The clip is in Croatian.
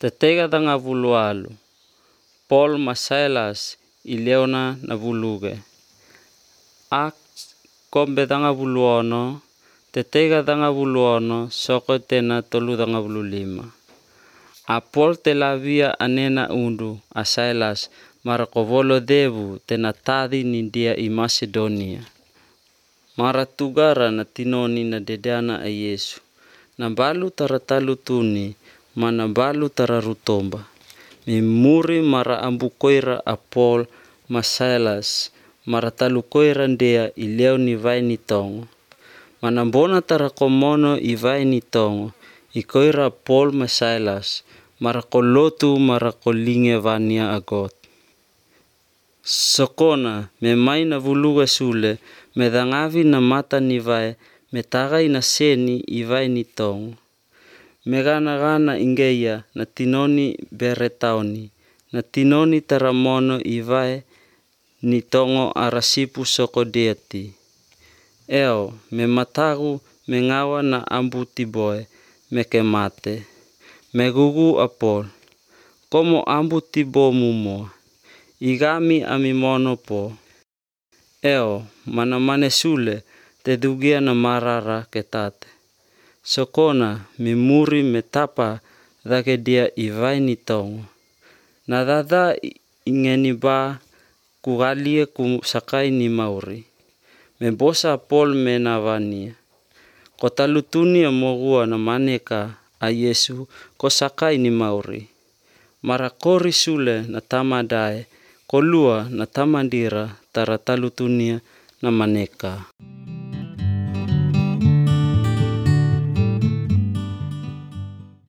Tetega tanga vulualu. Paul ma Silas ileona na vuluge. Acts kombe tanga vuluono. Tetega tanga vuluono soko tena 35. A Paul te lavia anena undu a Silas mara kovolo devu tena tadi nindia i Macedonia. Mara tugara na tinoni na dedana a Yesu. Na balu tara talu tuni mana balu tara rutomba. Mimuri mara ambu koira a Paul ma Silas mara talu koira ndea i leo ni vai ni tongo. Mana bona tara komono i vai ni tongo i koira Paul ma Silas mara kolotu mara kolinge vania agot. Sokona me mai na vuluga sule me dangavi na mata ni vai me tagai na seni i vai ni tongo. Me gana ingeia na tinoni beretaoni na tinoni taramono i vai ni tongo arasipu soko deati. Eo me matagu me ngawa na ambu tiboe me ke mate. Me gugu a Paul. Komo ambu tibo mumo. Igami amimono po. Eo mana mane sule te dugia na marara ketate. Sokona mimuri me tapa dake dia i vai ni tongo. Na dada ingeni ba kugalie ku sakai ni mauri. Me bosa Paul me na vania. Ko talutuni mogua na maneka a Yesu ko sakai ni mauri. Mara kori sule na tamadae kolua na tamandira tara talutunia na maneka.